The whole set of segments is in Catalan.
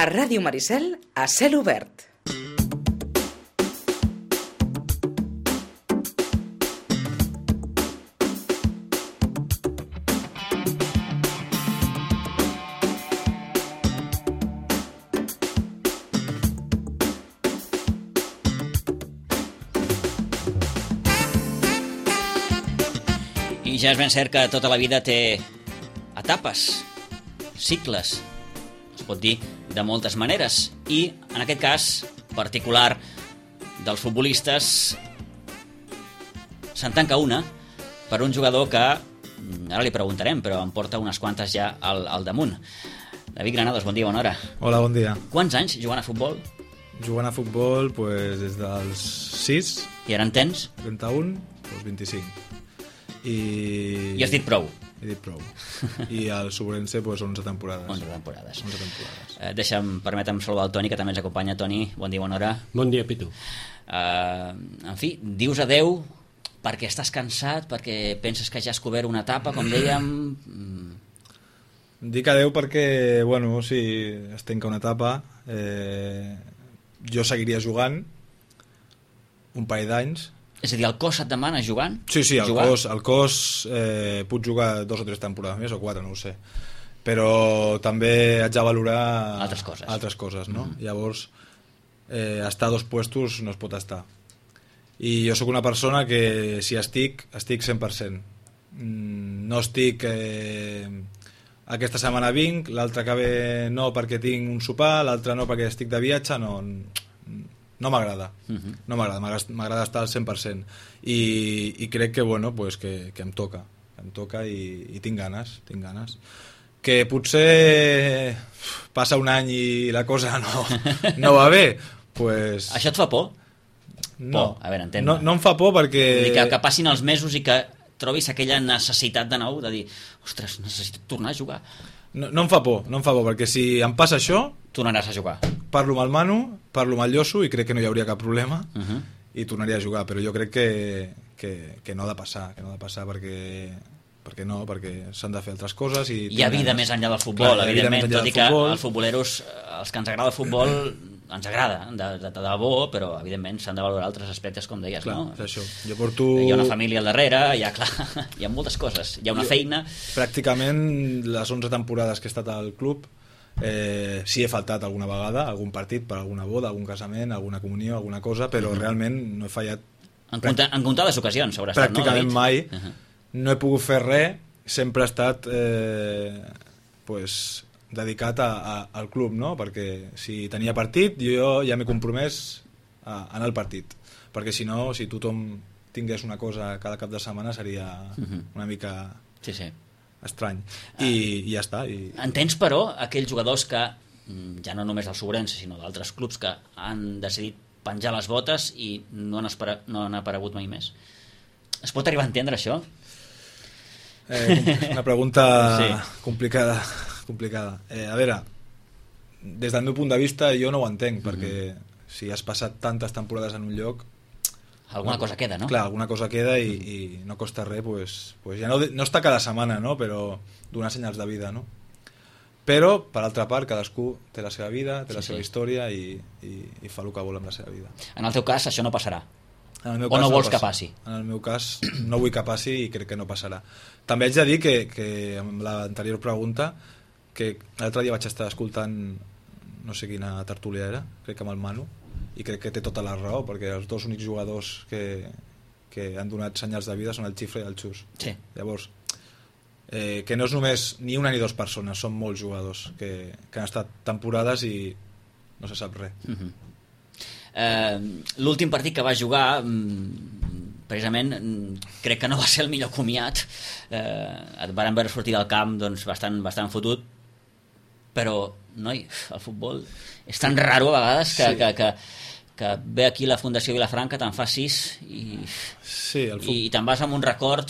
A Ràdio Maricel, a cel obert. I ja és ben cert que tota la vida té etapes, cicles, es pot dir de moltes maneres, i en aquest cas particular dels futbolistes se'n tanca una per un jugador que ara li preguntarem, però em porta unes quantes ja al damunt. David Granados, bon dia, bona hora. Hola, bon dia. Quants anys jugant a futbol? Jugant a futbol pues, des dels 6, I ara en tens? 31, doncs 25. I has dit prou? He dit prou. I al Sobrense pues, 11 temporades. 11 temporades. 11 temporades. Permetem saludar el Toni, que també ens acompanya. Toni, bon dia, bona hora. Bon dia, Pitu. En fi, dius adeu perquè estàs cansat, perquè penses que ja has cobert una etapa, com dèiem... Dic adeu perquè, bueno, sí, es tanca una etapa. Jo seguiria jugant un parell d'anys. És a dir, el cos et demana jugant? Sí, el cos puc jugar 2 o 3 temporades més, o 4, no ho sé. Però també haig de valorar altres coses, no? Llavors, estar a 2 puestos no es pot estar. I jo sóc una persona que si estic 100%. No estic... aquesta setmana vinc, l'altra que ve no perquè tinc un sopar, l'altra no perquè estic de viatge, no m'agrada. No m'agrada estar al 100%. I crec que, bueno, pues que em toca i tinc ganes. Que potser passa un any i la cosa no va bé, pues... Això et fa por? No, a veure, entén-me. No em fa por perquè... Que passin els mesos i que trobis aquella necessitat de nou de dir, ostres, necessito tornar a jugar. No em fa por, perquè si em passa això... Tornaràs a jugar. Parlo amb el Manu, parlo amb el Lloso i crec que no hi hauria cap problema i tornaria a jugar, però jo crec que no ha de passar, perquè s'han de fer altres coses i hi ha vida més enllà del futbol. Clar, evidentment, tot i que els futboleros, els que ens agrada el futbol, ens agrada de debò, però evidentment s'han de valorar altres aspectes, com deies. Clar, no? És això. Jo porto... Hi ha una família al darrere, hi ha moltes coses, hi ha una feina. Pràcticament les 11 temporades que he estat al club, sí he faltat alguna vegada, algun partit per alguna boda, algun casament, alguna comunió, alguna cosa, però realment no he fallat en comptades ocasions haurà estat, pràcticament no, mai. No he pogut fer res, sempre he estat dedicat al club, no? Perquè si tenia partit jo ja m'he compromès a anar al partit, perquè si no, si tothom tingués una cosa cada cap de setmana seria una mica estrany. I ja està. Entens, però, aquells jugadors que, ja no només del Sobrense, sinó d'altres clubs que han decidit penjar les botes i no han aparegut mai més? Es pot arribar a entendre això? Una pregunta complicada. A veure, des del meu punt de vista jo no ho entenc, perquè si has passat tantes temporades en un lloc... Alguna cosa queda, no? Clar, alguna cosa queda i no costa res, pues ja no està cada setmana, no? Però donar senyals de vida, no? Però, per altra part, cadascú té la seva vida, té la seva història i fa el que vol amb la seva vida. En el teu cas això no passarà? O no vols que passi? En el meu cas no vull que passi i crec que no passarà. També haig de dir que amb l'anterior pregunta, que l'altre dia vaig estar escoltant, no sé quina tertúlia era, crec que amb el Manu, i crec que té tota la raó, perquè els dos únics jugadors que han donat senyals de vida són el Xifre i el Xus. Llavors, que no és només ni una ni dues persones, són molts jugadors que han estat temporades i no se sap res. L'últim partit que va jugar, precisament, crec que no va ser el millor comiat. Et van veure sortir del camp bastant fotut, però, noi, el futbol és tan raro a vegades que ve aquí la Fundació Vilafranca, te'n fa 6 i te'n vas amb un record,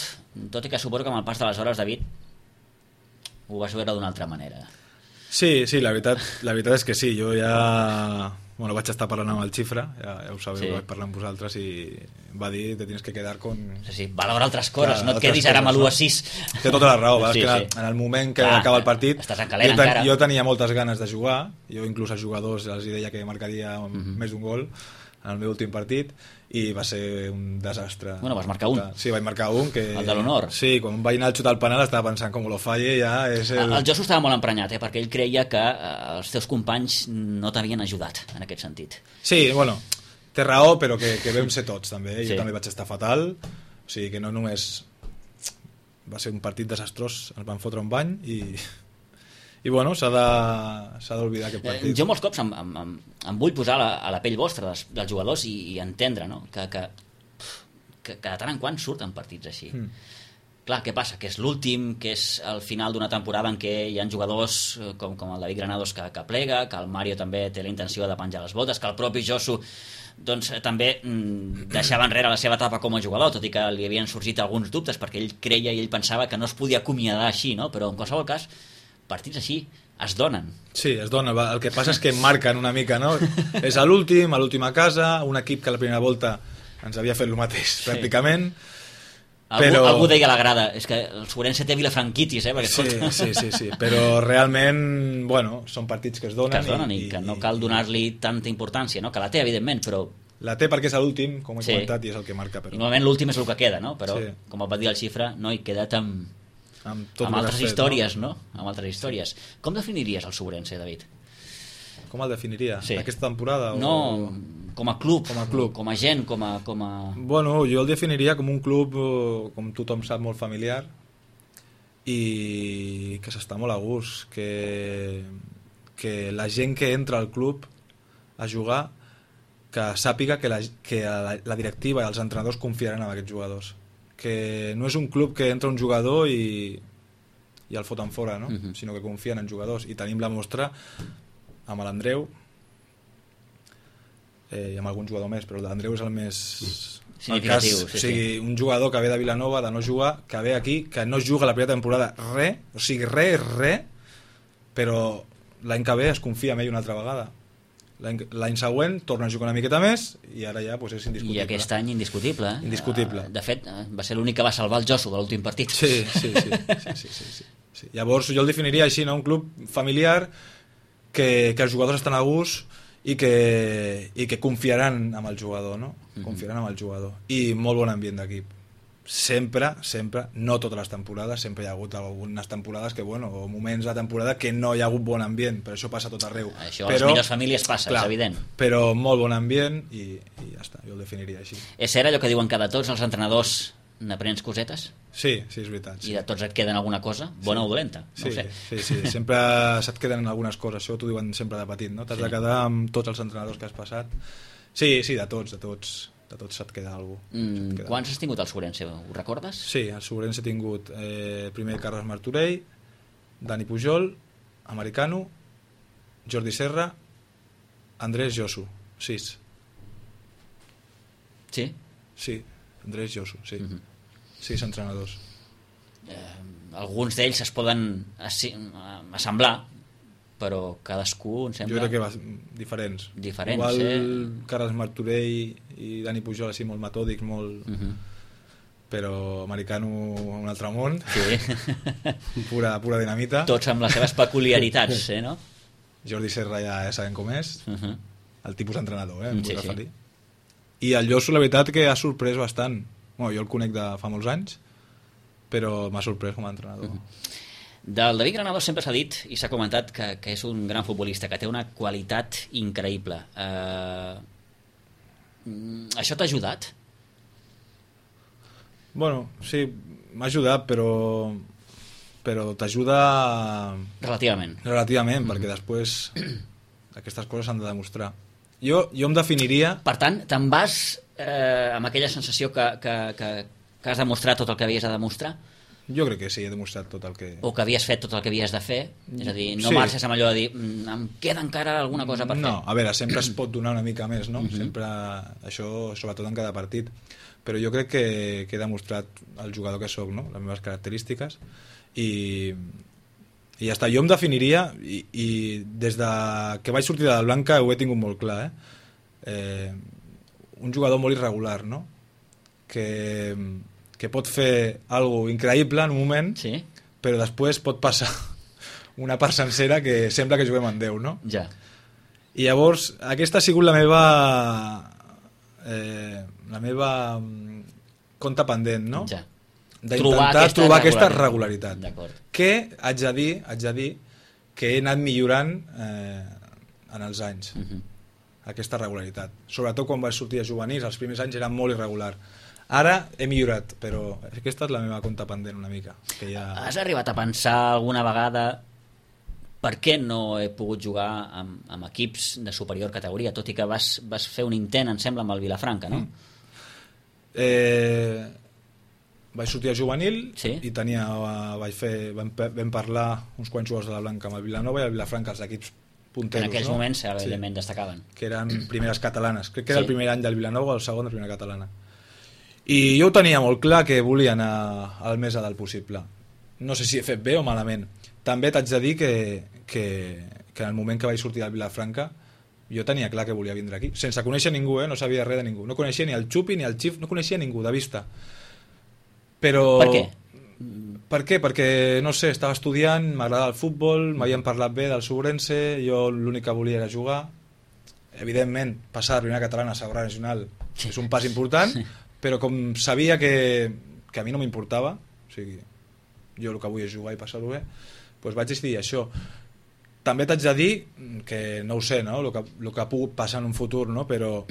tot i que suposo que amb el pas de les hores, David, ho vas veure d'una altra manera. Sí, la veritat és que sí, jo ja Bueno, vaig estar parlant amb el Xifra, ja ho sabeu, sí. Vaig parlar amb vosaltres i va dir te tienes que quedar con... Sí, valora altres coses, no et quedis ara amb l'1-6. Té tota la raó, sí, sí. En el moment que acaba el partit estàs en calent encara. Jo tenia moltes ganes de jugar, jo inclús als jugadors els deia que marcaria més d'un gol en el meu últim partit i va ser un desastre. Bueno, vas marcar un. Sí, vaig marcar un. El de l'honor. Sí, quan vaig anar a xutar el penal estava pensant com lo falle ja és el... El Josu estava molt emprenyat, perquè ell creia que els teus companys no t'havien ajudat en aquest sentit. Sí, bueno, té raó, però que vam ser tots també. Sí. Jo també vaig estar fatal, o sigui que no només va ser un partit desastrós, ens van fotre un bany i bueno, s'ha d'oblidar aquest partit. Jo molts cops em vull posar a la pell vostra dels jugadors i entendre, no? que de tant en quant surten partits així. Clar, què passa? Que és l'últim, que és el final d'una temporada en què hi ha jugadors com el David Granados que plega, que el Mario també té la intenció de penjar les botes, que el propi Josu doncs, també deixava enrere la seva etapa com a jugador, tot i que li havien sorgit alguns dubtes perquè ell creia i ell pensava que no es podia acomiadar així, no? Però en qualsevol cas partits així es donen. Sí, es dona. El que passa és que marquen una mica, no? És a l'última casa, un equip que la primera volta ens havia fet el mateix, sí. Pràcticament. Algú deia a la grada, és que el Sobrense té vilafranquitis, perquè sí, però realment, bueno, són partits que es donen. I que no cal donar-li tanta importància, no? Que la té, evidentment, però... La té perquè és l'últim, com he comentat, i és el que marca. Però... I normalment l'últim és el que queda, no? Però, com va dir el Xifra, no, he quedat amb altres històries, no? Amb altres històries. Com definiries el Sobrense, David? Com el definiria? Sí. Aquesta temporada? No, com a club, com a gent, com a... Bueno, jo el definiria com un club, com tothom sap, molt familiar i que s'està molt a gust, que la gent que entra al club a jugar que sàpiga que la directiva i els entrenadors confiaran en aquests jugadors, que no és un club que entra un jugador i el foten fora, no? Sinó que confien en jugadors, i tenim la mostra amb l'Andreu i amb algun jugador més, però l'Andreu és el més significatiu. O sigui, un jugador que ve de Vilanova, de no jugar, que ve aquí, que no juga la primera temporada res, però l'any que ve es confia en ell una altra vegada. L'any següent torna a jugar una miqueta més i ara ja pues, és indiscutible. I aquest any indiscutible. Indiscutible. De fet, va ser l'únic que va salvar el Josu de l'últim partit. Sí. Llavors jo el definiria així, no? Un club familiar que els jugadors estan a gust i que confiaran en el jugador, no? Confiaran en el jugador. I molt bon ambient d'equip. Sempre, no totes les temporades, sempre hi ha hagut algunes temporades que, bueno, o moments de temporada que no hi ha hagut bon ambient, però això passa a tot arreu. Això a les millors famílies passa, clar, és evident. Però molt bon ambient i ja està, jo el definiria així. És cert allò que diuen que de tots els entrenadors n'aprens cosetes? Sí, és veritat. Sí. I de tots et queden alguna cosa, bona o dolenta? No ho sé. Sí, sempre se't queden algunes coses, això t'ho diuen sempre de petit, no? T'has de quedar amb tots els entrenadors que has passat. Sí, de tots se't queda alguna cosa. Quants has tingut al Sobrense? Ho recordes? Sí, al Sobrense he tingut primer Carles Martorell, Dani Pujol, Americano, Jordi Serra, Andrés Josu, 6. Sí? Sí, Andrés Josu, sí. 6 entrenadors. Alguns d'ells es poden assemblar, però cadascú, em sembla... Jo crec que diferents. Igual Carles Martorell i Dani Pujol així molt metòdics, molt... Però Americano un altre món, pura dinamita. Tots amb les seves peculiaritats, no? Jordi Serra ja sabem com és, el tipus entrenador, em vull referir. I el Josu, la veritat, que ha sorprès bastant. Bueno, jo el conec de fa molts anys, però m'ha sorprès com a entrenador. Del David Granados sempre s'ha dit i s'ha comentat que és un gran futbolista, que té una qualitat increïble. Això t'ha ajudat? Bueno, sí, m'ha ajudat, però t'ajuda... Relativament, perquè després aquestes coses s'han de demostrar. Jo em definiria... Per tant, te'n vas amb aquella sensació que has demostrat tot el que havies de demostrar? Jo crec que sí, he demostrat tot el que... O que havies fet tot el que havies de fer, és a dir, no marxes amb allò de dir em queda encara alguna cosa per fer. No, a veure, sempre es pot donar una mica més, no? Sempre, això, sobretot en cada partit. Però jo crec que he demostrat el jugador que sóc, no? Les meves característiques, i I ja està, jo em definiria, i des de que vaig sortir de la Blanca ho he tingut molt clar, un jugador molt irregular, no? Que pot fer alguna increïble en un moment, sí, però després pot passar una part sencera que sembla que juguem en Déu, no? Ja. I llavors aquesta ha sigut la meva compte pendent, no? Ja. D'intentar trobar aquesta regularitat. Que haig de dir que he anat millorant en els anys. Aquesta regularitat. Sobretot quan vaig sortir de juvenils, els primers anys era molt irregular. Ara he millorat, però aquesta és la meva compte pendent una mica. Que ja... Has arribat a pensar alguna vegada per què no he pogut jugar amb equips de superior categoria, tot i que vas fer un intent, em sembla, amb el Vilafranca, no? Vaig sortir a juvenil, sí, i vam parlar uns quants jugadors de la Blanca amb el Vilanova i el Vilafranca, els equips punteros. En aquells moments, evidentment, destacaven. Que eren primeres catalanes. Crec que era el primer any del Vilanova o el segon de primera catalana. I jo ho tenia molt clar que volia anar al més a dalt possible. No sé si he fet bé o malament. També t'haig de dir que en el moment que vaig sortir del Vilafranca jo tenia clar que volia vindre aquí. Sense conèixer ningú, no sabia res de ningú. No coneixia ni el Xupi ni el Xif, no coneixia ningú de vista. Però... Per què? Per què? Perquè, no sé, estava estudiant, m'agradava el futbol, m'havien parlat bé del Sobrense, jo l'únic que volia era jugar. Evidentment, passar de primera catalana a segona nacional és un pas important, però com sabia que a mi no m'importava, o sigui, jo el que vull és jugar i passar-ho bé, doncs vaig decidir això. També t'haig de dir que no ho sé, no? El que ha pogut passar en un futur, no? Però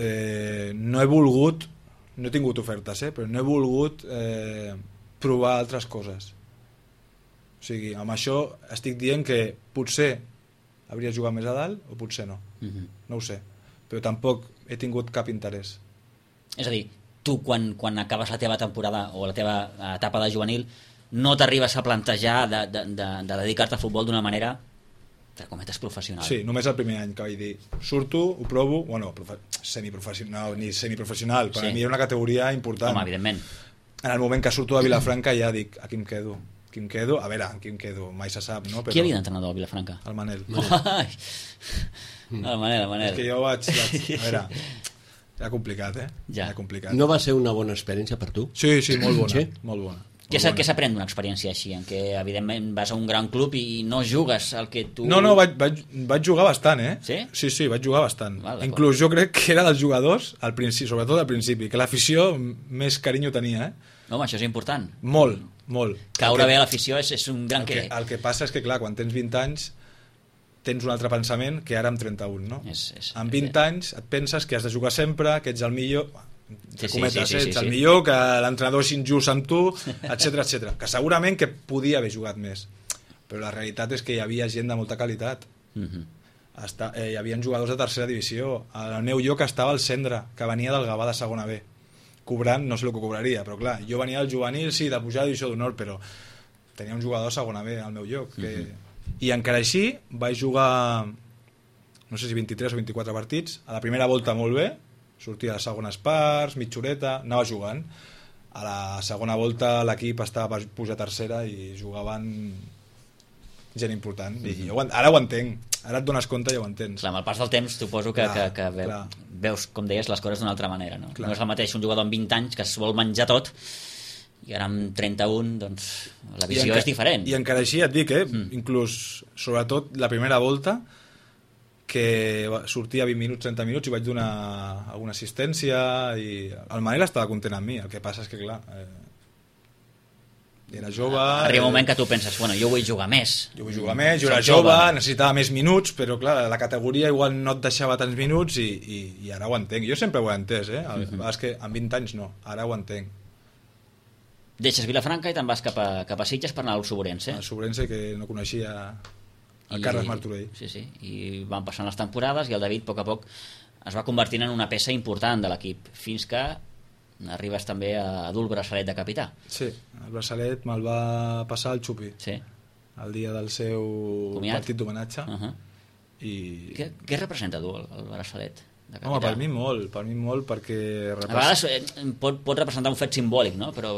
no he volgut, no he tingut ofertes, però no he volgut provar altres coses. O sigui, amb això estic dient que potser hauria jugat més a dalt o potser no. No ho sé, però tampoc he tingut cap interès. És a dir, tu quan acabes la teva temporada o la teva etapa de juvenil no t'arribes a plantejar de dedicar-te al futbol d'una manera, entre cometes, professional. Sí, només el primer any que vaig dir surto, ho provo, bueno, semiprofessional, ni semiprofessional, per a mi era una categoria important. Home, evidentment. En el moment que surto de Vilafranca ja dic, aquí em quedo. A veure, aquí em quedo, mai se sap, no? Però... Qui havia d'entrenador al Vilafranca? El Manel. El Manel. És que jo vaig... A veure, era complicat, Ja. Era complicat. No va ser una bona experiència per tu? Sí, molt bona. Sí? Molt bona. Què s'aprèn d'una experiència així, en què evidentment vas a un gran club i no jugues el que tu... No, vaig jugar bastant, Sí? Sí, vaig jugar bastant. Val, inclús jo crec que era dels jugadors, al principi, sobretot al principi, que l'afició més carinyo tenia, Home, això és important. Molt. Caure bé a l'afició és un gran què. El que passa és que, clar, quan tens 20 anys tens un altre pensament que ara amb 31, no? Amb 20 anys et penses que has de jugar sempre, que ets el millor... ets el millor, que l'entrenador és injust amb tu, etc. Que segurament que podia haver jugat més, però la realitat és que hi havia gent de molta qualitat. Hi havia jugadors de tercera divisió. Al meu lloc estava el Cendra, que venia del Gavà de segona B, cobrant, no sé el que cobraria, però clar, jo venia del juvenil, sí, de pujar a divisió d'honor, però tenia un jugador de segona B al meu lloc i encara així vaig jugar no sé si 23 o 24 partits. A la primera volta molt bé, sortia a segones parts, mitjoreta, anava jugant. A la segona volta l'equip estava per pujar a tercera i jugaven gent important. I jo ara ho entenc, ara et dones compte i ja ho entens. Clar, amb el pas del temps suposo que veus, com deies, les coses d'una altra manera, no? No és el mateix un jugador amb 20 anys que es vol menjar tot i ara amb 31 doncs la visió és diferent. I encara així et dic, inclús sobretot la primera volta, que sortia 20 minuts, 30 minuts i vaig donar alguna assistència i el Manel estava content amb mi. El que passa és que clar, era jove, arriba un moment que tu penses, bueno, jo vull jugar més, jo era jove, necessitava més minuts, però clar, la categoria igual no et deixava tants minuts i ara ho entenc. Jo sempre ho he entès, és que amb 20 anys no, ara ho entenc. Deixes Vilafranca i te'n vas cap a Sitges per anar al Sobrense. El Sobrense, que no coneixia el Carles Martorell. Sí, i van passant les temporades i el David a poc es va convertint en una peça important de l'equip, fins que arribes també a dur el braçalet de capità. Sí, el braçalet me'l va passar el Xupi, el dia del seu partit d'homenatge. I què representa dur el braçalet? de capità? Home, per mi molt, perquè... A vegades pot representar un fet simbòlic, no? Però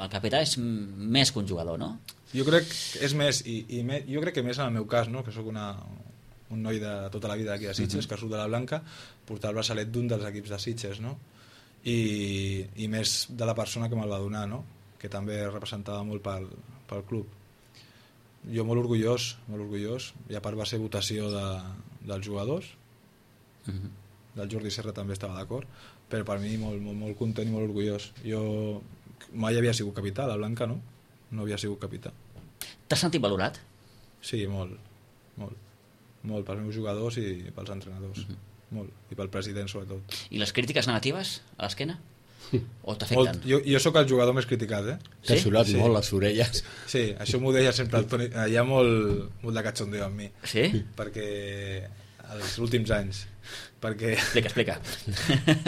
el capità és més que un jugador, no? Jo crec que és més, jo crec que més en el meu cas, no? Que sóc un noi de tota la vida aquí a Sitges, que surt de la Blanca, portar el braçalet d'un dels equips de Sitges, no? I més de la persona que me'l va donar, no? Que també representava molt pel club. Jo molt orgullós, i a part va ser votació dels jugadors, del Jordi Serra també estava d'acord, però per mi molt content i molt orgullós. Jo mai havia sigut capità, la Blanca no havia sigut capità. T'has sentit valorat? Sí, molt pels meus jugadors i pels entrenadors, molt, i pel president sobretot. I les crítiques negatives a l'esquena? O t'afecten? Jo sóc el jugador més criticat, T'ha surat molt les orelles. Sí, això m'ho deia sempre el Toni. Hi ha molt de cachondeo amb mi. Sí? Perquè els últims anys, perquè Explica.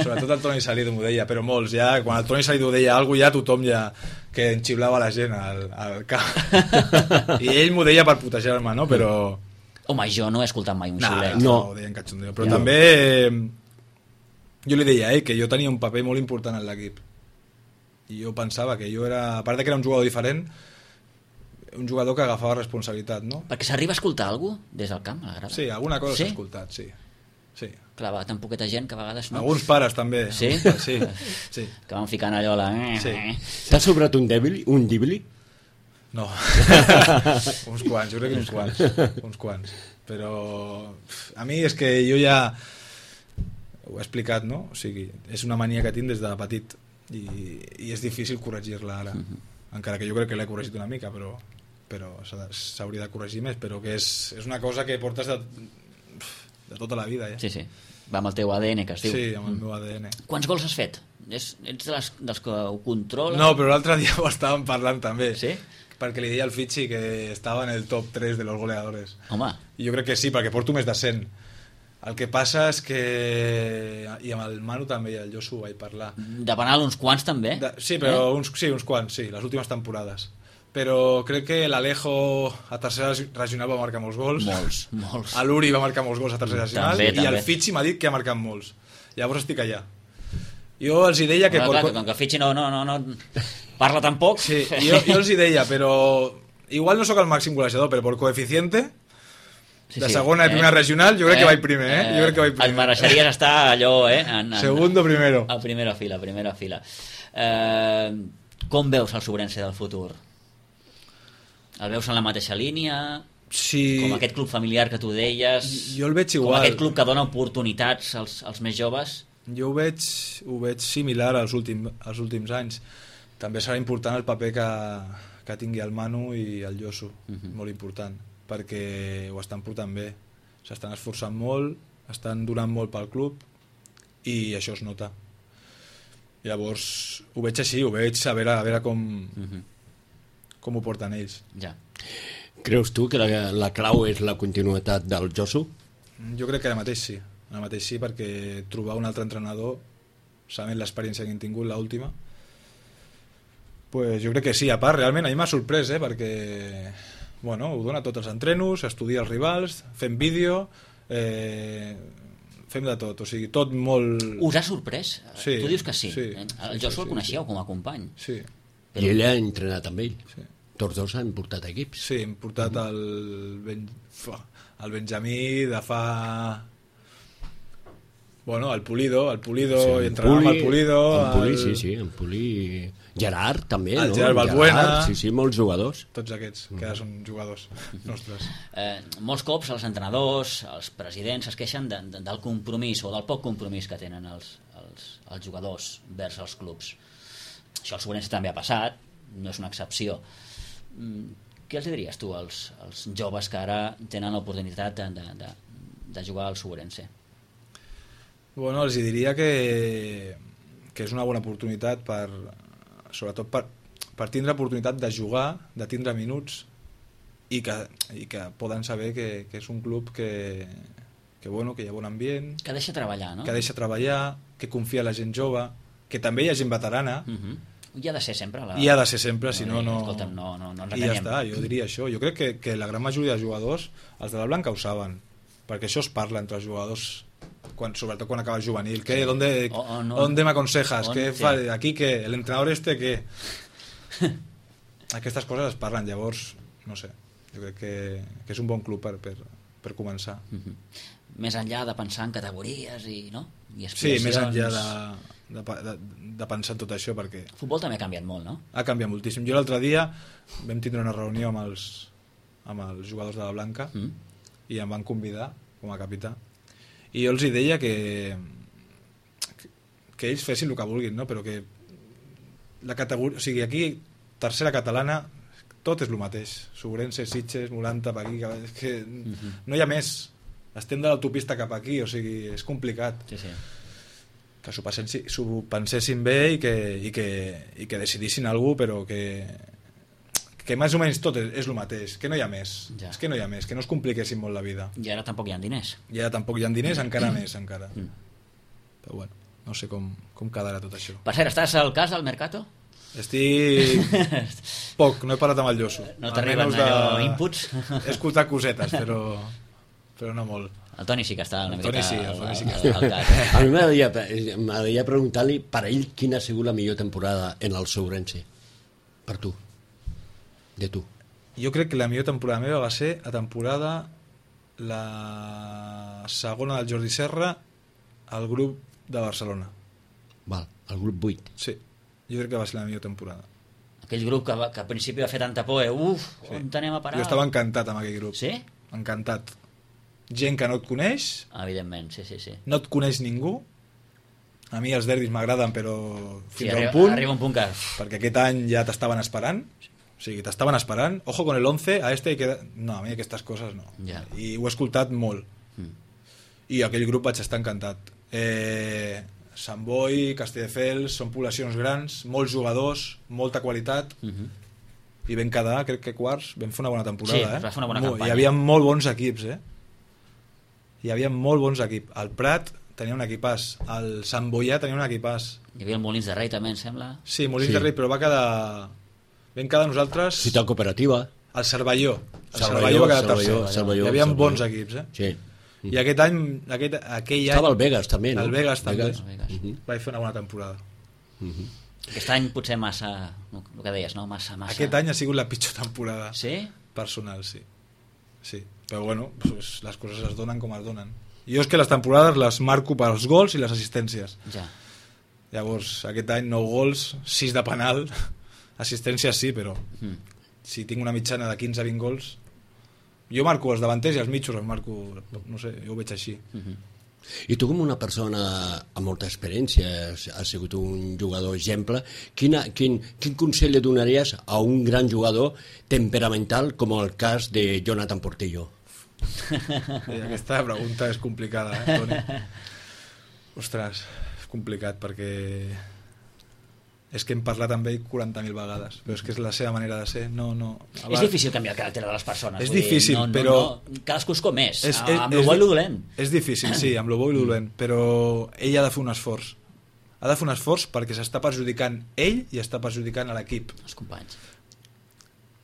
sobretot el Toni Salido m'ho deia, però molts ja, quan el Toni Salido deia alguna cosa, ja tothom ja que enxiblava la gent al camp. I ell m'ho deia per putejar-me, no? Però home, jo no he escoltat mai un xiulet. No, ho deien cachondeo, però també jo li deia que jo tenia un paper molt important en l'equip, i jo pensava que jo era, a part que era un jugador diferent, un jugador que agafava responsabilitat, no? Perquè s'arriba a escoltar alguna cosa des del camp, a la grada? Sí, alguna cosa s'ha escoltat, sí. Clar, va tan poqueta gent que a vegades no. Alguns pares també. Sí? Sí. Que van ficant allò a la... Sí. T'ha sobrat un dibli? No. Uns quants, jo crec que uns quants. Però a mi és que jo ja ho he explicat, no? O sigui, és una mania que tinc des de petit i és difícil corregir-la ara. Encara que jo crec que l'he corregit una mica, però s'hauria de corregir més, però que és una cosa que portes de tota la vida, ja. Sí. Va amb el teu ADN, que es diu. Sí, amb el meu ADN. Quants gols has fet? Ets dels que ho controla? No, però l'altre dia ho estàvem parlant també. Sí? Perquè li deia al Fitxi que estava en el top 3 de los goleadores. Home. I jo crec que sí, perquè porto més de 100. El que passa és que... I amb el Manu també i el Josu vaig parlar. De penal uns quants també? Sí, però uns quants, sí, les últimes temporades. Però crec que l'Alejo a tercera regional va marcar molts gols. Molts. A l'Uri va marcar molts gols a tercera regional. També. I el Fitxi m'ha dit que ha marcat molts. Llavors estic allà. Jo els hi deia que... Clar, com que el Fitxi no parla tampoc... Sí, jo els hi deia, però... Igual no sóc el màxim golejador, però per coeficiente... de segona i primera regional, jo crec que vaig primer, Jo crec que vaig primer. Et mereixeries estar allò, Segundo, primero. A primera fila. Com veus el Sobrense del futur? El veus en la mateixa línia? Sí. Com aquest club familiar que tu deies? Jo el veig igual. Com aquest club que dona oportunitats als més joves? Jo ho veig similar als últims anys. També serà important el paper que tingui el Manu i el Josu, molt important, perquè ho estan portant bé, s'estan esforçant molt, estan donant molt pel club i això es nota. Llavors ho veig així, ho veig a veure com ho porten ells. Ja. Creus tu que la clau és la continuïtat del Josu? Jo crec que ara mateix sí, perquè trobar un altre entrenador, sabent l'experiència que hem tingut, l'última, pues jo crec que sí. A part, realment a mi m'ha sorprès, perquè ho dona tots els entrenos, estudia els rivals, fem vídeo, fem de tot, o sigui, tot molt... Us ha sorprès? Sí, tu dius que sí. Sí, el Josu el coneixeu com a company. Sí. I ell ha entrenat amb ell. Sí. Tots dos han portat equips. Sí, hem portat el Benjamí de fa... el Pulido, sí, i entrenàvem el Pulido. En Puli... Gerard, també, el Gerard Balbuena. Sí, molts jugadors. Tots aquests, que ara són jugadors nostres. Molts cops els entrenadors, els presidents es queixen del compromís o del poc compromís que tenen els jugadors vers els clubs. Això al Sobrense també ha passat, no és una excepció. Què els diries tu als joves que ara tenen l'oportunitat de jugar al Sobrense? Els diria que és una bona oportunitat sobretot per tindre oportunitat de jugar, de tindre minuts i que poden saber que és un club que hi ha bon ambient, que deixa treballar, no? Que deixa treballar, que confia en la gent jove, que també hi ha gent veterana. Hi ha de ser sempre. Hi ha de ser sempre, si no... Escolta'm, no ens enganyem. I ja està, jo diria això. Jo crec que la gran majoria de jugadors, els de la Blanca ho saben, perquè això es parla entre els jugadors sobretot quan acaba el juvenil. ¿Qué? ¿Dónde me aconsejas? ¿Qué fa? Aquí què? ¿El entrenador què? Aquestes coses es parlen, llavors, no sé, jo crec que és un bon club per començar. Més enllà de pensar en categories i, no? I sí, més enllà de pensar en tot això, perquè... El futbol també ha canviat molt, no? Ha canviat moltíssim. Jo l'altre dia vam tindre una reunió amb els jugadors de la Blanca i em van convidar com a capità, i jo els hi deia que ells fessin el que vulguin, no? Però que la categoria, o sigui, aquí tercera catalana tot és el mateix, Sobrense, Sitges, Molanta, per aquí, és que no hi ha més, estem de l'autopista cap aquí, o sigui, és complicat. Sí. Que s'ho pensessin bé i que decidissin alguna cosa, però que més o menys tot és el mateix, que no hi ha més, és que no hi ha més, que no es compliquessin molt la vida. I ara tampoc hi ha diners. Encara més, encara. Però bueno, no sé com quedarà tot això. Per cert, estàs al cas del Mercato? Estic poc, no he parlat amb el Llosso. No t'arriben allò inputs? He escoltat cosetes, però no molt. El Toni sí que està una miqueta al cas. A mi m'agradaria preguntar-li per ell quina ha sigut la millor temporada en el Sourense, per tu, de tu. Jo crec que la millor temporada meva va ser la temporada la segona del Jordi Serra al grup de Barcelona. Val, el grup 8. Sí, jo crec que va ser la millor temporada. Aquell grup que al principi va fer tanta por, on anem a parar? Jo estava encantat amb aquell grup. Sí? Encantat. Gent que no et coneix. Evidentment, sí. No et coneix ningú. A mi els derbis m'agraden, però fins a un punt. Arriba un punt que... Perquè aquest any ja t'estaven esperant. O sigui, t'estaven esperant. Ojo con el 11, a este hay que... No, a mi aquestes coses no. Ja. I ho he escoltat molt. I aquell grup vaig estar encantat. Sant Boi, Castelldefels, són poblacions grans, molts jugadors, molta qualitat, i vam quedar, crec que quarts, vam fer una bona temporada. Sí, va fer una bona campanya. Hi havia molt bons equips, Hi havia molt bons equips. El Prat tenia un equipàs, el Sant Boià tenia un equipàs. Hi havia el Molins de Rei també, em sembla. Sí, Molins de Rei, però vam quedar nosaltres... Ciutat Cooperativa. El Cervelló. El Cervelló va quedar tercer. Hi havia bons equips, Sí. I aquell any... Estava el Vegas també, no? El Vegas també. Vegas. Vaig fer una bona temporada. Aquest any potser massa, el que deies, no? Massa. Aquest any ha sigut la pitjor temporada. Sí? Personal, sí. Però bueno, pues, les coses es donen com es donen. Jo és que les temporades les marco pels gols i les assistències. Ja. Llavors, aquest any 9 gols, 6 de penal, assistències sí, però si tinc una mitjana de 15 a 20 gols, jo marco els davanters i els mitjos els marco, no sé, jo ho veig així. I tu, com una persona amb molta experiència, has sigut un jugador exemple, quin consell li donaries a un gran jugador temperamental com el cas de Jonathan Portillo? Aquesta pregunta és complicada, Toni? Ostres, és complicat perquè és que hem parlat amb ell 40.000 vegades, però és que és la seva manera de ser. És difícil canviar el caràcter de les persones. És difícil, però... Cadascú és com és, amb lo bo i lo dolent. És difícil, sí, amb lo bo i lo dolent, però ell ha de fer un esforç. Ha de fer un esforç perquè s'està perjudicant ell i està perjudicant a l'equip. Els companys.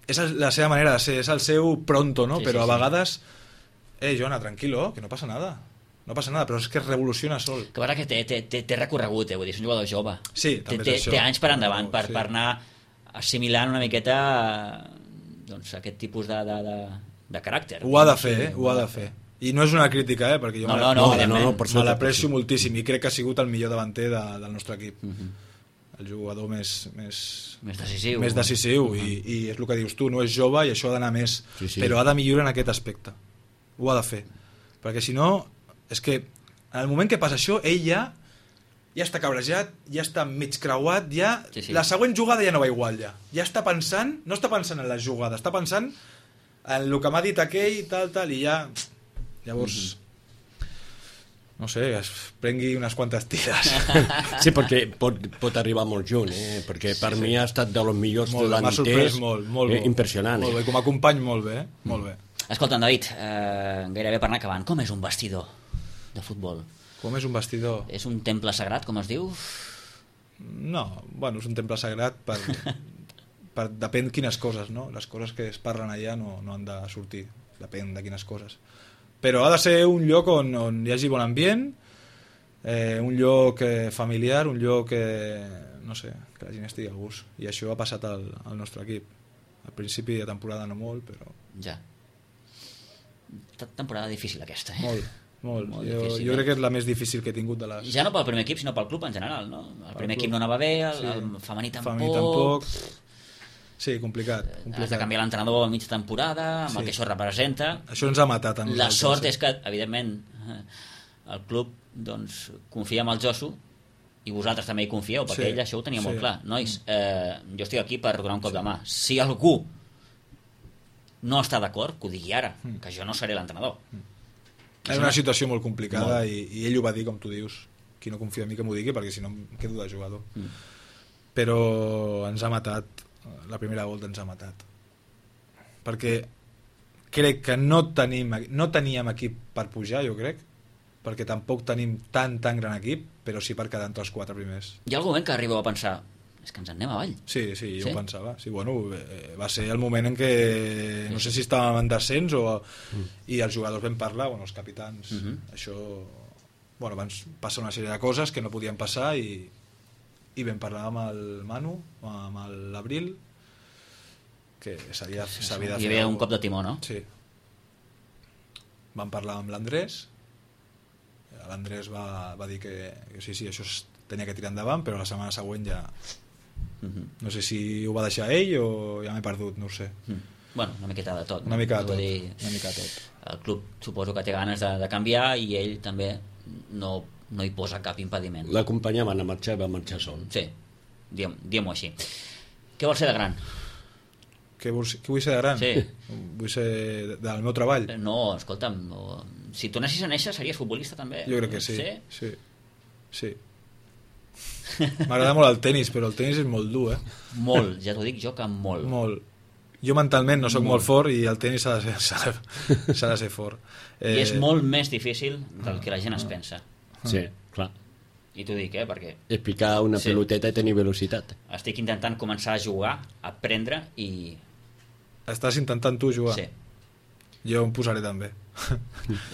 És la seva manera de ser, és el seu pronto, no? Sí, però sí, a vegades... Joana, tranquilo, que no passa nada. No passa nada, però és que es revoluciona sol. Que veure que té recorregut, vull dir, és un jugador jove. Sí, també és això. Té anys per endavant per anar assimilant una miqueta doncs, aquest tipus de caràcter. Ho ha de fer, ho ha de fer. I no és una crítica, perquè jo me l'aprecio moltíssim i crec que ha sigut el millor davanter del nostre equip. El jugador més decisiu i és el que dius tu, no és jove i això ha d'anar més, però ha de millorar en aquest aspecte. Ho ha de fer. Perquè si no, és que en el moment que passa això, ell ja està cabrejat, ja està mig creuat, la següent jugada ja no va igual, ja està pensant, no està pensant en la jugada, està pensant en el que m'ha dit aquell, tal, i ja llavors no sé, es prengui unes quantes tires. Sí, perquè pot arribar molt junt, perquè per mi ha estat dels millors delanters. M'ha sorprès molt, impressionant. Molt bé, com a company molt bé, molt bé. Escolta'm, David, gairebé per anar acabant, com és un vestidor de futbol? Com és un vestidor? És un temple sagrat, com es diu? No, bueno, és un temple sagrat per depèn quines coses, no? Les coses que es parlen allà no han de sortir, depèn de quines coses. Però ha de ser un lloc on hi hagi bon ambient, un lloc familiar, un lloc no sé, que la gent estigui a gust, i això ha passat al nostre equip. Al principi de temporada no molt, però... Ja. Temporada difícil aquesta, Molt. Difícil, jo crec que és la més difícil que he tingut de les... Ja no pel primer equip, sinó pel club en general, no? El primer equip no anava bé, el femení tampoc... Sí, complicat. Has de canviar l'entrenador a mitja temporada, amb el que això representa. Això ens ha matat a nosaltres. La sort és que, evidentment, el club doncs, confia en el Josu, i vosaltres també hi confieu, perquè ell això ho tenia molt clar. Nois, jo estic aquí per donar un cop de mà. Si algú no està d'acord, que ho digui ara, que jo no seré l'entrenador. És una situació molt complicada i ell ho va dir, com tu dius. Qui no confia en mi que m'ho digui, perquè si no em quedo de jugador. Però ens ha matat, la primera volta ens ha matat. Perquè crec que no teníem equip per pujar, jo crec, perquè tampoc tenim tan gran equip, però sí per quedar entre els 4 primers. Hi ha algun moment que arribeu a pensar, és que ens en anem avall. Sí, jo ho pensava. Sí, bueno, va ser el moment en què no sé si estàvem en descens i els jugadors vam parlar, els capitans, això, van passar una sèrie de coses que no podien passar i vam parlar amb el Manu, amb l'Abril, que s'havia de fer... Hi havia un cop de timó, no? Sí. Vam parlar amb l'Andrés, l'Andrés va dir que sí, això es tenia que tirar endavant, però la setmana següent ja... No sé si ho va deixar ell o ja m'he perdut, no ho sé. Bueno, una miqueta de tot. Una mica de tot. El club suposo que té ganes de canviar i ell també no hi posa cap impediment. L'acompanyaven a marxar i va marxar sol. Sí, diguem-ho així. Què vols ser de gran? Què vull ser de gran? Sí. Vull ser del meu treball? No, escolta'm, si tornessis a néixer series futbolista també? Jo crec que sí. Sí. M'agrada molt el tenis, però el tenis és molt dur, Molt, ja t'ho dic jo que molt. Molt. Jo mentalment no sóc molt fort i el tenis s'ha de ser fort. I és molt més difícil del que la gent es pensa. Sí, clar. I t'ho dic, perquè... Explicar una peloteta i tenir velocitat. Estic intentant començar a jugar, a aprendre i... Estàs intentant tu jugar? Sí. Jo em posaré també.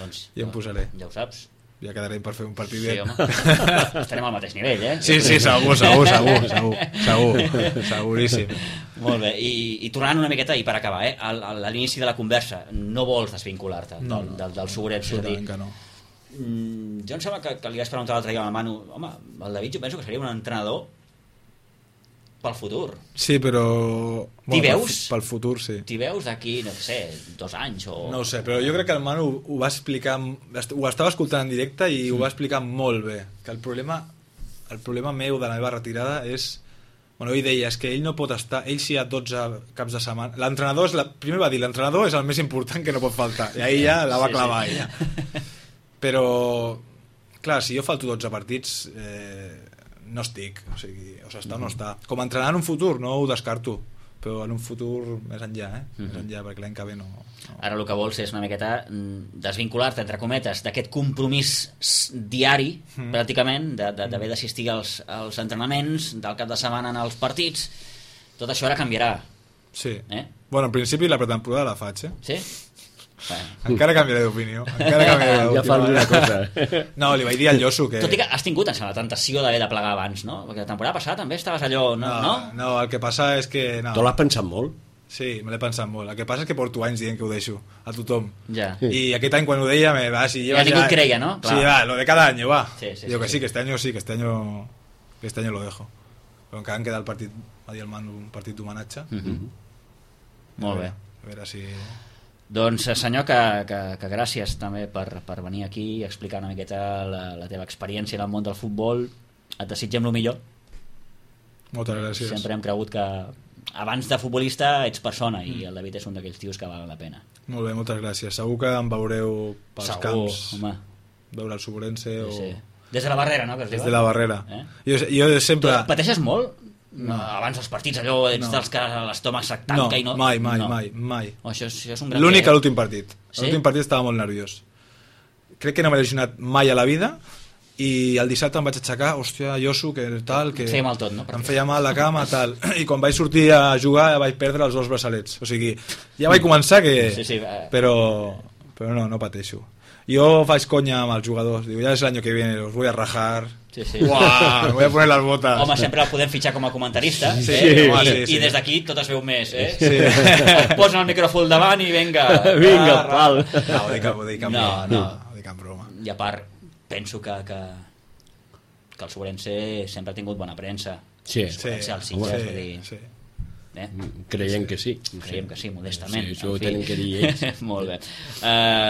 Doncs jo em posaré. Ja ho saps. Ja quedarem per fer un partit bé. Sí, home. Estarem al mateix nivell, Sí, segur. Seguríssim. Molt bé. I tornant una miqueta, i per acabar, a l'inici de la conversa, no vols desvincular-te del Sobrets? Absolutament que no. Jo em sembla que li vaig preguntar l'altre dia al Manu, home, el David jo penso que seria un entrenador pel futur. Sí, però... T'hi veus? Pel futur, sí. T'hi veus d'aquí, no sé, 2 anys o... No ho sé, però jo crec que el Manu ho va explicar... Ho estava escoltant en directe i ho va explicar molt bé. Que el problema meu de la meva retirada és... Ell deia, és que ell no pot estar... Ell si hi ha 12 caps de setmana... L'entrenador és... Primer va dir, l'entrenador és el més important que no pot faltar. I ahir ja la va clavar, ella. Però, clar, si jo falto 12 partits... no estic, o sigui, està o no està. Com a entrenar en un futur, no ho descarto, però en un futur més enllà, més enllà, perquè l'any que ve no... Ara el que vols és una miqueta desvincular-te, entre cometes, d'aquest compromís diari, pràcticament, d'haver d'assistir als entrenaments, del cap de setmana en els partits. Tot això ara canviarà. Sí. Bueno, en principi la pretemporada la faig, Sí? Encara canviaré d'opinió. Ja fa alguna cosa. No, li vaig dir al Josu que... Tot i que has tingut la tentació d'haver de plegar abans, no? Perquè la temporada passada també estaves allò, no? No, el que passa és que... Tu l'has pensat molt? Sí, me l'he pensat molt. El que passa és que porto anys dient que ho deixo a tothom. Ja. I aquest any quan ho deia ja ningú creia, no? Sí, va, lo de cada año, va. Digo que sí, que este año lo dejo. Però encara em queda el partit, va dir el Manu, un partit d'homenatge. Molt bé. A veure si... Doncs senyor, que gràcies també per venir aquí i explicar una miqueta la teva experiència en el món del futbol. Et desitgem el millor. Moltes gràcies. Sempre hem cregut que abans de futbolista ets persona i el David és un d'aquells tios que valen la pena. Molt bé, moltes gràcies. Segur que em veureu pels camps. Home. Veure el Sobrense o... Sí. Des de la barrera, no? Des de la barrera. Jo sempre... Tu pateixes molt? No, abans dels partits allò ets dels que l'estómac se't tanca i no... Mai. Això és un gran... L'únic a l'últim partit. A l'últim partit estava molt nerviós. Crec que no m'he lesionat mai a la vida i el dissabte em vaig aixecar, hòstia, Josu, que tal... Que em feia mal tot, no? Em feia mal la cama, tal. I quan vaig sortir a jugar vaig perdre els 2 braçalets. O sigui, ja vaig començar que... Sí. Però no pateixo. Jo faig conya amb els jugadors, digo, ya es el año que viene, los voy a rajar. Sí, sí. Uah, me voy a poner las botas. Home, sempre el podem fitxar com a comentarista, Sí, I des d'aquí tot es veu més, Sí. Et posa el micròfon davant i vinga. Vinga, pal. No, ho dic en broma. I a part, penso que el Sobrense sempre ha tingut bona premsa. Sí. El Sobrense, el Sitges, vull dir... Sí. Creiem que sí. Creiem que sí, modestament. Sí, això ho tenen que dir ells. Molt bé.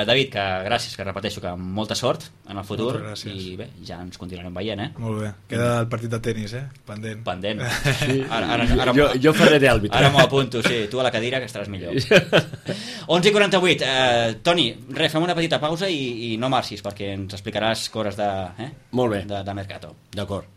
David, que gràcies, que repeteixo que molta sort en el futur i bé, ja ens continuarem veient, Molt bé. Queda el partit de tenis, pendent. Sí. Ara, jo faré d'àrbitre. Ara m'ho apunto, sí, tu a la cadira que estaràs millor. 11:48. Toni, fem una petita pausa i no marxis perquè ens explicaràs coses de Molt bé. de Mercato. D'acord.